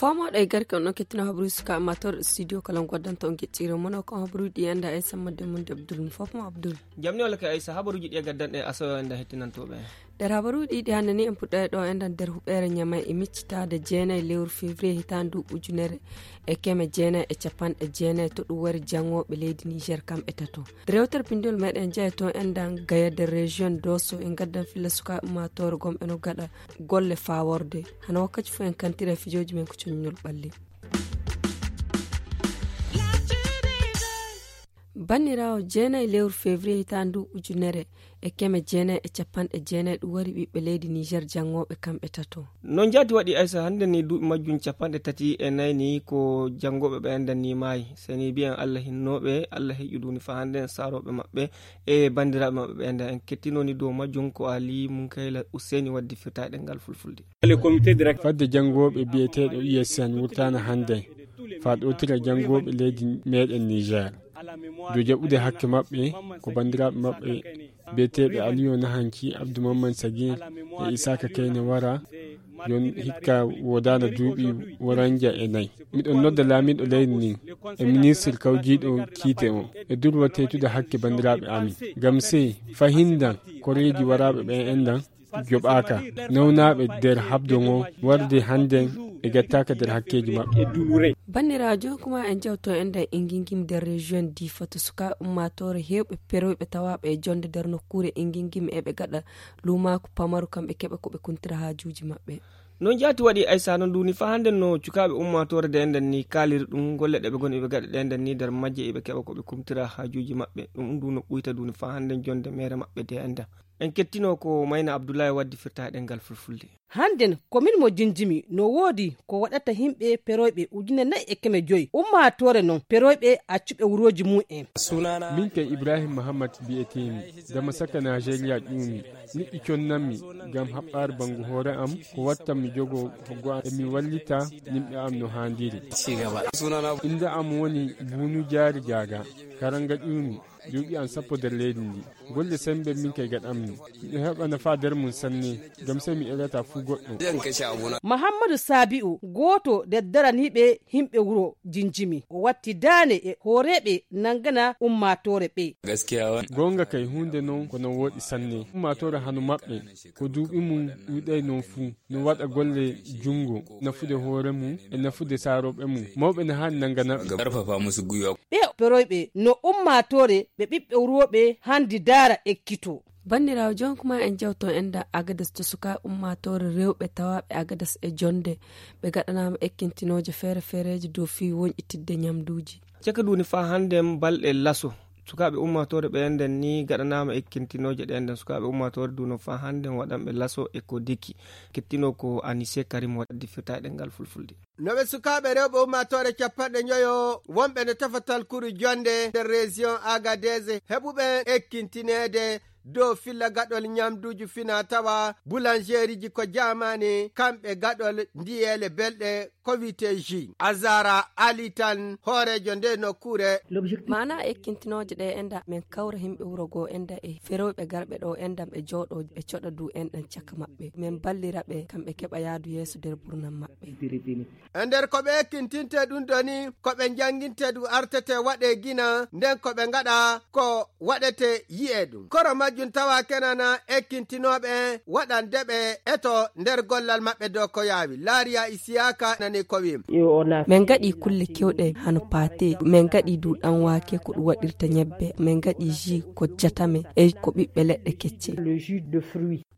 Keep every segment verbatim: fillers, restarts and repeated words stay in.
Fomooɗo e garke on ɗon kettino habaruuji suka amateur studio kala ngoddanto on geccire mono ko habaruuji ɗi enda e sammadde mum de abdul mo fof mo abdul. Jamni walla ko aysa habaruuji ɗi e gaddanɗe asoyo enda hettinantooɓe. Nder habaruuji ɗiɗi hannde ni en puɗɗay ɗo enɗan nder huɓeere ñamay e miccitaade jeenayi lewru février hitaande ndu ujunere e keme jeenayi e capanɗe jeenayi to ɗum wari janngooɓe leydi niger kam e tato. Rewtere pinndol meɗen jeya to enɗan gaya nder région doso en gaddan filla sukaaɓe ummaatoore gom eno gaɗa golle faworde. Hano wakkati fof en kantira e fijooji men ko coññol ɓalli. Banniraawo jeenayi lewru février hitaande ndu ujunere e keme jeenayi e capanɗe jeenayi ɗum wari ɓiɓɓe leydi niger janngooɓe kamɓe tato. No njaati waɗi aysa hannde ni duuɓi majjum capanɗe tati e nayi ni ko janngooɓe ɓe enɗan ni maayi seni mbiyen allah hinnooɓe allah heƴu duni fa hannde en saarooɓe maɓɓe e banndiraaɓe maɓɓe ɓe enɗan en kettinoni dow majjum ko ali munkayla useni waddi firtaaɗe ngal fulfulde. Fadde janngooɓe biyeteeɗo usn wurtaana hannde faa ɗowtira janngooɓe leydi meɗen niger dow jaɓude hakke maɓɓe ko banndiraaɓe maɓɓe biyeteeɓe aliyo nahanki abdou mamman sagir e isaka kayne wara yon hikka woodaana duuɓi woranja e nayi. Miɗon nodda laamiiɗo leydi ndin e ministir kawjiiɗo kiite o e durwa teytude hakke banndiraaɓe amin ngam sey fahindan koreeji waraaɓe ɓe enɗan joɓaaka nawnaaɓe nder haɓdo ngo warde hannden ɓe gattaaka nder hakkeeji maɓɓe. Banniraajo kuma en jawto enɗan e ngingim nder région difa to sukaaɓe ummaatoore heewɓe peroyɓe tawaaɓe e jonnde nder nokkuure e ngingim eɓe gaɗa luumaaku pamaru kam ɓe keɓa ko ɓe kuntira haajuuji maɓɓe. No njaati waɗi aysa no nduuni fa hannden no cukaaɓe ummaatoore de enɗan ni kaaliri ɗum golle ɗe ɓe ngoni ɓe gaɗa ɗe enɗan ni nder majje eɓe keɓa ko ɓe kumtira haajuuji maɓɓe ɗum ndu no ɓuyta nduuni fa hannden jonnde meere maɓɓe de enɗan. En kettino ko mayna abdullahi waddi firta e ɗemngal fulfulde. Hannden ko min mo jinjimi no woodi ko waɗata yimɓe peroyɓe ujune nayi e keme joyi ummaatoore non peroyɓe accuɓe wurooji mum en. Min kay ibrahim mahammad mbi'eteemi dama saka najeriya ƴuumi niɗɗi connanmi ngam haɓɓaare banngu hoore am ko wattan mi jogo hoggo am e mi wallita yimɓe am no haandiri. Innde am woni bunu jaari jaaga karanga ƴuumi duuɓi am sappo nder leydi ndi golle sembe min kay gaɗanmi miɗo heɓa nafa nder mum sanne ngam sey mi elata fuu goɗɗo. Mahammadu sabi'u gooto nder daraniiɓe yimɓe wuro jinjimi o watti daane e hooreeɓe nanngana ummaatoore ɓe. Goonga kay huunde non ko no wooɗi sanne ummaatoore hano maɓɓe ko duuɓi mum ɗuuɗay non fuu no waɗa golle junngo nafude hoore mum e nafude saarooɓe mum mawɓe no haani nanngana ɓe. Ɓe peroyɓe no ummaatoore ɓe ɓiɓɓe wurooɓe hanndi daara ekkito. Banndiraawo jonkuma en jawto enda agadas to suka ummaatoore rewɓe tawaaɓe agadas e jonnde ɓe gaɗanaama ekkintinooje feere feereeje dow fii woñƴitidde ñamduuji. Caka duuni faa hannden balɗe laso sukaaɓe ummaatoore ɓe enɗen ni gaɗanaama ekkintinooje ɗe enɗen sukaaɓe ummaatoore duuno faa hannden waɗanɓe laso e ko diki kettino ko anise karim waɗdi firtaaɗe ngal fulfulde. No ɓe sukaaɓe rewɓe ummaatoore capanɗe njoyo wonɓe no tafatal kuru jonnde nder région agadez heɓuɓe ekkintineede dow filla gaɗol ñamduuji fina tawa boulangeriji ko jaamaani kamɓe gaɗol ndiyeele belɗe ko wiyetee ji azara ali tan hooreejo nde nokkuure. Maana ekkintinooje ɗe enda min kawra yimɓe wuro goo enda e ferooɓe garɓe ɗo enda ɓe jooɗo ɓe coɗa du enɗan caka maɓɓe min ballira ɓe kamɓe keɓa yaadu yeeso nder burnam maɓɓe. E nder ko ɓe ekkintinta ɗum ɗo ni ko ɓe njanginta ɗum artete waɗe gina nden ko ɓe ngaɗa ko waɗete yi'e ɗum koro majjum tawa kenana ekkintinooɓe waɗande ɓe eto nder gollal maɓɓe dow ko yaawi laariya isiyaka nani ko wi'im. Min ngaɗi kulle kewɗe hano paate min ngaɗi du ɗanwaake ko ɗum waɗirta ñebbe min ngaɗi ji ko jatame e ko ɓiɓɓe leɗɗe kecce.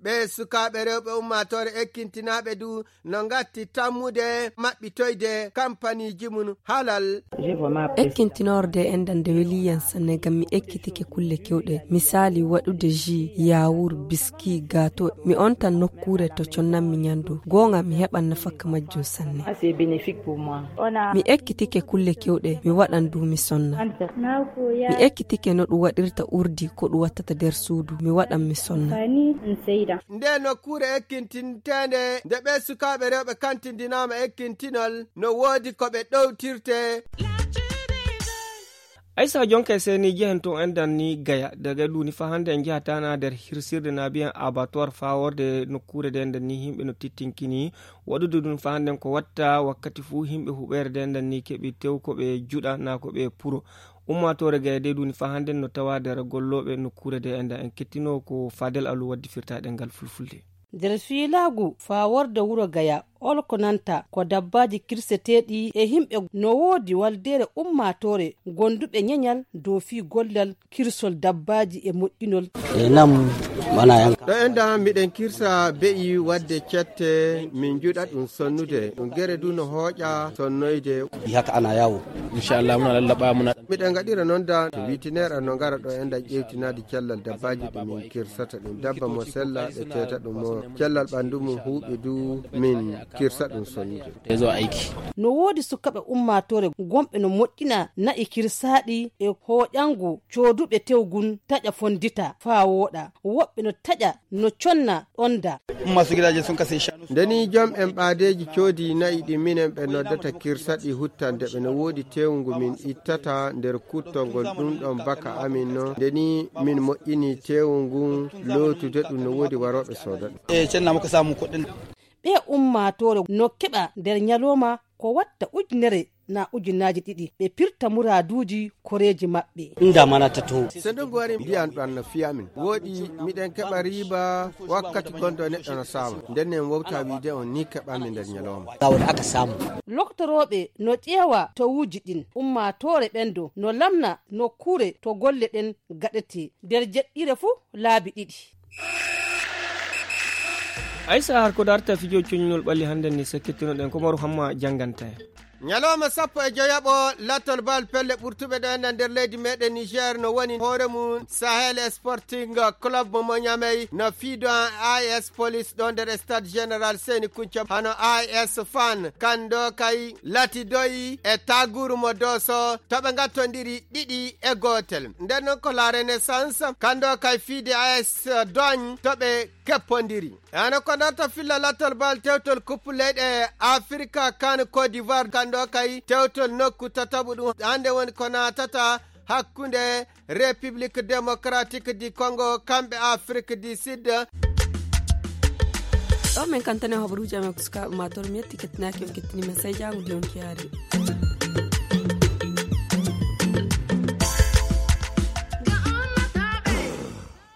Ɓe sukaaɓe rewɓe ummaatoore ekkintinaaɓe du no ngatti tammude maɓɓitoyde kampaniiji mum halal. Ekkintinorde enɗan nde weli yan sanne ngam mi ekkitike kulle kewɗe misaali waɗude ji yawur biski gato mi ontan nokkuure to connanmi ñandu goonga mi heɓan nafakka majjum sanne. Mi ekkitike kulle kewɗe mi waɗan du mi sonna. Mi ekkitike no ɗum waɗirta urdi ko ɗum wattata nder suudu mi waɗan mi sonna. Nde nokkuure ekkintinteende, nde ɓee sukaaɓe rewɓe kantindinaama ekkintinol, no woodi ko ɓe ɗowtirte. Aysa jonka e seni jehen to en danni Gaya. Daga ɗum ni fa hannde en njahata na nder hirsirde na mbiyen abattoir faa worde nokkuure nde nden ni yimɓe no tittinkini. Waɗude ɗum fa hannde ko watta wakkati fuu yimɓe huɓeere nde nden ni keɓi tew ko ɓe juɗa na ko ɓe puro. Ummaatoore Gaya de ɗum ni fa hannde no tawa nder gollooɓe nokkuure nde nden en kettino ko Fadel Alu waddi firtaɗe ngal fulfulde. Nder fiilaagu faa worde wuro Gaya, ol ko nanta ko dabbaaji kirseteeɗi e yimɓe no woodi waldeere ummaatoore gonduɓe ñeñal dow fii gollal kirsol dabbaaji e moƴƴinol. E nam mana yanka. Ɗo en da miɗen kirsa be'i wadde cette min juɗa ɗum sonnude. Ɗum gere du no hooƴa sonnoyde. Yi haka ana yawo. Inchallah muna lallaɓa muna. Miɗen gaɗira noon da to witinere no ngara ɗo en da ƴewtinaade cellal dabbaaji ɗi min kirsata ɗum. Dabba mo sella ɓe teeta ɗum mo cellal ɓanndu mum huuɓi du min kirsa ɗum sonnude. Tezo aiki. No woodi sukaaɓe ummaatoore gomɓe no moƴƴina na'i kirsaaɗi e hooƴangu cooduɓe tewgun taƴa fondita faa wooɗa. Woɓɓe no taƴa no conna ɗonda. Umma su gidaje sun kasai shanu. Ndeni jom en ɓaadeeji coodi na'i ɗi minen ɓe noddata kirsaɗi huttande ɓe no woodi tewngu min ittata nder kuttongol ɗum ɗon baka amin no. Ndeni min moƴƴini tewngu lootude ɗum no woodi warooɓe sooda ɗum. E cenna mo ko samu koɗɗen. Ɓe ummaatoore no keɓa nder ñalooma ko watta ujunere na ujunaaji ɗiɗi. Ɓe pirta muraaduuji koreeji maɓɓe. Inda mana ta to. So ndungu wari mbiyan ɗon no fiya min. Wooɗi miɗen keɓa riiba wakkati gonɗo neɗɗo no saama. Nden en wowta wiide on ni keɓami nder ñalooma. Ga woni aka samu. Loktorooɓe no ƴeewa towuuji ɗin. Ummaatoore ɓen do no lamna nokkuure to golle ɗen gaɗete nder jeɗɗire fuu laabi ɗiɗi. Aysa har ko darta fijo coñnol ɓalli hannde ni sakkitinoɗen ko Maru Hamma jannganta en. Ñalawma sappo e joyaɓo lattol bal pelle ɓurtuɓe ɗo enɗan nder leydi meɗen Niger no woni hoore mum Sahel Sporting Club mo Ñamey no fiido an A S Police ɗo nder stade général Seni Kunca hano A S Fan kando kay latidoyi e taguru mo Doso to ɓe gattondiri ɗiɗi e gootel. Nden noon ko La Renaissance kando kay fiide A S Dogne to ɓe keppondiri. Hano ko darta filla lattol bal tewtol kuppu leyɗe Afirka kan Côte d'Ivoire kando kay tewtol nokku tataɓu ɗum hannde woni ko naatata hakkunde République Démocratique du Congo kamɓe Afrique du Sud. Ɗo min kantane hoɓruuji amen ko sukaaɓe ma toro mi yetti kettinaaki on kettini men sey jaango de on kiyaari.